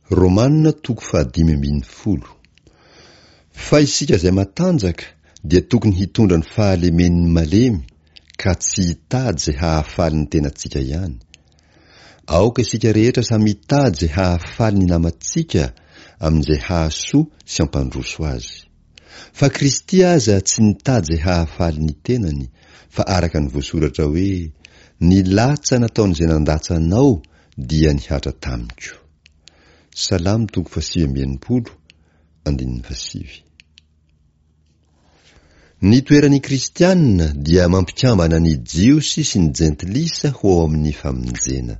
Romana toko fahadimy ambin'ny folo. Fa isika izay matanjaka dia tokony hitondra ny fahalemen'ny malemy ka tsy hitady izay hahafaly ny tenantsika ihany. Aoka isika rehetra samy hitady izay hahafaly ny namantsika amin'izay hahasoa sy hampandroso azy. Fa Kristy aza tsy nitady izay hahafaly ny tenany, fa araka ny voasoratra hoe, Ny latsa nataon'izay nandatsa anao dia nihatra tamiko. Salamo toko fahasivy amby enimpolo, andininy fahasivy. Ny toeran'ny Kristiana dia mampikambana ny Jiosy sy ny Jentilisa ho ao amin'ny famonjena.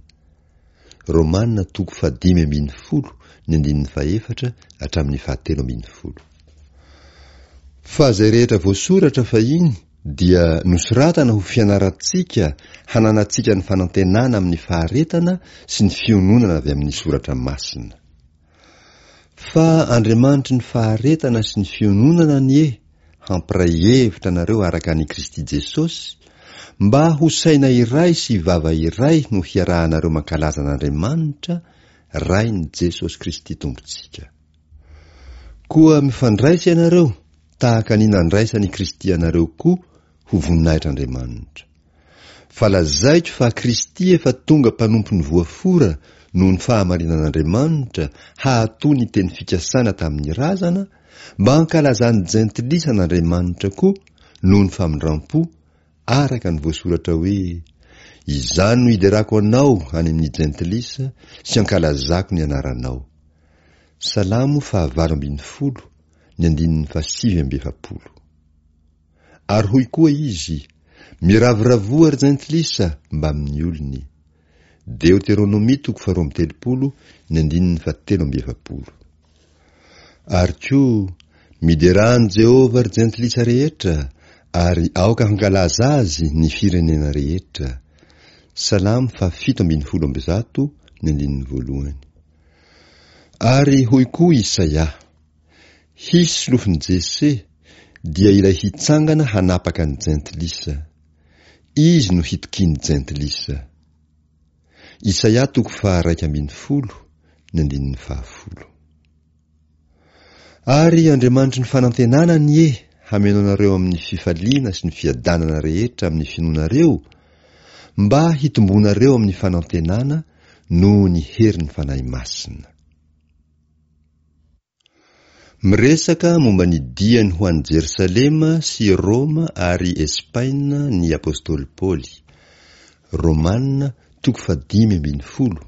Romana toko fahadimy ambin'ny folo ny andininy fahefatra hatramin'ny fahatelo ambin'ny folo. Fa izay rehetra voasoratra fahiny dia nosoratana ho fianarantsika hananantsika ny fanantenana amin'ny faharetana sy ny fiononana avy amin'ny soratra masina. Fa Andriamanitry ny faharetana sy ny fiononana anie hampiray hevitra anareo araka an'i Kristy Jesosy, mba ho saina iray sy vava iray no hiarahanareo mankalaza an'Andriamanitra, Rain'i Jesosy Kristy Tompontsika. Koa mifandraisa ianareo tahaka ny nandraisan'i Kristy anareo koa ho voninahitr'Andriamanitra. Fa lazaiko fa Kristy efa tonga mpanompon'ny voafora noho ny fahamarinan'Andriamanitra hahatoa ny teny fikasana tamin'ny razana, mba hankalazan'ny jentilisa an'Andriamanitra koa noho ny famindram-po, araka ny voasoratra hoe, Izany no hiderako anao any amin'ny jentilisa sy hankalazako ny anaranao. Salamo fahavalo ambin'ny folo, ny andininy fahasivy amby efapolo. Ary hoy koa izy, Miravoravoa ry jentilisa mbamin'ny olony. Deoteronomia toko faharoa amby telopolo ny andininy fahatelo amby efapolo. Ary koa, Miderà an'i Jehovah ry jentilisa rehetra, ary aoka hankalaza azy ny firenena rehetra. Salamo fahafito ambin'ny folo amby zato ny andininy voalohany. Ary hoy koa Isaia, Hisy solofon'i Jese, dia ilay hitsangana hanapaka ny jentilisa. Izy no hitokian'ny jentilisa. Isaia toko faha-11, ny andininy fahafolo. Ary Andriamanitry ny fanantenana anie hameno anareo amin'ny fifaliana sy ny fiadanana rehetra amin'ny finoanareo, mba hitomboanareo amin'ny fanantenana noho ny herin'ny Fanahy Masina. Miresaka momba ny diany ho any Jerosalema sy Roma ary Espaina ny apostoly Paoly. Romana toko fahadimy ambin'ny folo,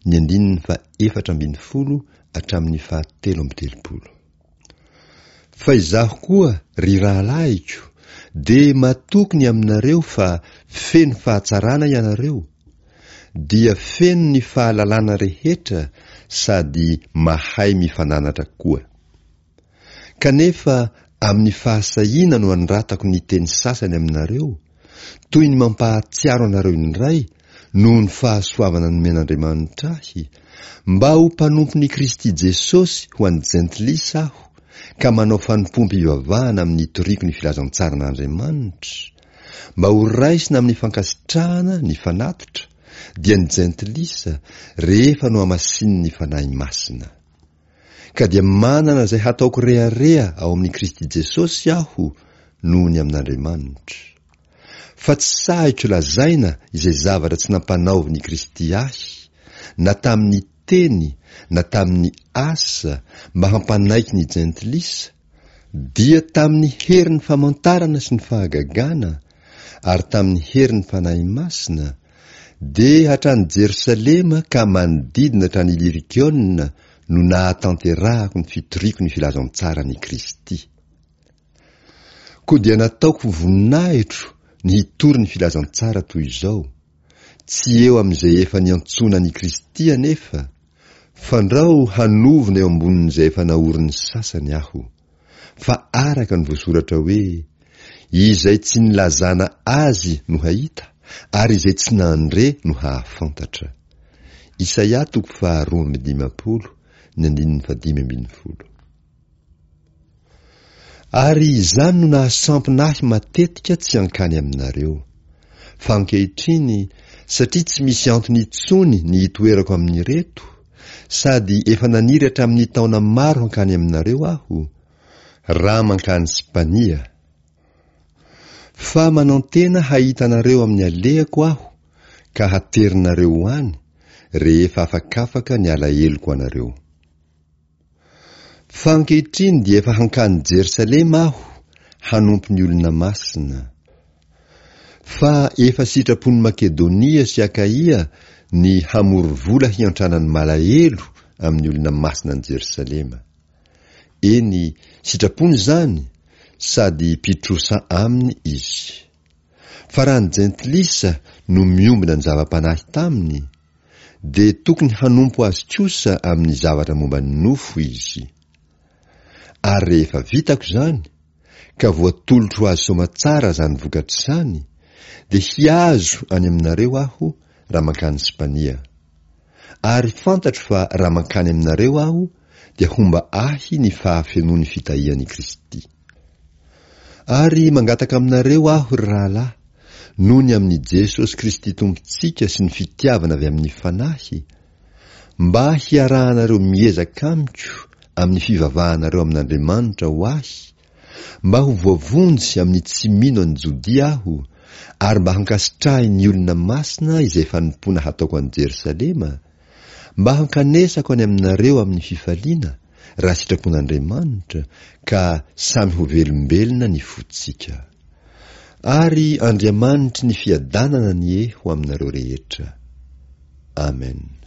ny andininy faha-efatra ambin'ny folo hatramin'ny fahatelo amby telopolo. Fa izaho koa, ry rahalahiko, dia matoky ny aminareo fa feno fahatsarana ianareo, dia feno ny fahalalana rehetra sady mahay mifananatra koa. Kanefa amin'ny fahasahiana no anoratako ny teny sasany aminareo, toy ny mampahatsiaro anareo indray noho ny fahasoavana nomen'Andriamanitra ahy, mba ho mpanompon'i Kristy Jesosy ho an'ny jentilisa aho, ka manao fanompoam-pivavahana amin'ny itoriako ny filazantsaran'Andriamanitra, mba ho raisina amin'ny fankasitrahana ny fanatitra, dia ny jentilisa, rehefa nohamasinin'ny Fanahy Masina. Ka dia manana izay hataoko rehareha ao amin'i Kristy Jesosy aho noho ny amin'Andriamanitra. Fa tsy sahiko lazaina izay zavatra tsy nampanaovin'i Kristy ahy, na tamin'ny teny na tamin'ny asa mba hampanaiky ny jentilisa, dia tamin'ny herin'ny famantarana sy ny fahagagana ary tamin'ny herin'ny Fanahy Masina, dia hatrany Jerosalema ka manodidina hatrany Ilirikiona no nahatanterahako ny fitoriako ny filazantsaran'i Kristy. Koa dia nataoko ho voninahitro ny hitory ny filazantsara toy izao, tsy eo amin'izay efa niantsoana an'i Kristy anefa, fandrao hanovona eo ambonin'izay efa naorin'ny sasany aho. Fa araka ny voasoratra hoe, Izay tsy nilazana azy no hahita, ary izay tsy nandre no hahafantatra. Isaia toko faharoa amby dimampolo, ny andininy fahadimy ambin'ny folo. Ary izany no nahasampina ahy matetika tsy hankany aminareo. Fa ankehitriny, satria tsy misy antony intsony ny hitoerako amin'ireto, Sady efa naniry hatramin'ny taona maro hankany aminareo aho, raha mankany Spania. Fa manantena hahita anareo amin'ny alehako aho ka haterinareo ho any, rehefa afakafaka ny alaheloko anareo. Fa ankehitriny dia efa hankany Jerosalema aho hanompo ny olona masina. Fa efa sitrapon'i Makedonia sy Akaia ny hamory vola hiantrana ny malahelo amin'ny olona masina any Jerosalema. Eny, sitrapony izany, sady mpitrosa aminy izy. Fa raha ny jentilisa no miombona ny zava-panahy taminy, dia tokony hanompo azy kosa amin'ny zavatra momba ny nofo izy. Ary rehefa vitako izany, ka voatolotro ho azy soamatsara izany vokatra izany, dia hihazo any aminareo aho raha mankany Spania. Ary fantatro fa raha mankany aminareo aho, dia homba ahy ny fahafenoan'ny fitahian'i Kristy. Ary mangataka aminareo aho, ry rahalahy, noho ny amin'i Jesosy Kristy Tompontsika sy ny fitiavana avy amin'ny Fanahy, mba hiarahanareo miezaka amiko amin'ny fivavahanareo amin'Andriamanitra ho ahy, mba ho voavonjy amin'ny tsy mino an'i Jodia aho, ary mba hankasitrahin'ny olona masina izay fanompoana hataoko any Jerosalema, mba hankanesako any aminareo amin'ny fifaliana, raha sitrapon'Andriamanitra, ka samy ho velombelona ny fontsika. Ary Andriamanitry ny fiadanana anie ho aminareo rehetra. Amen.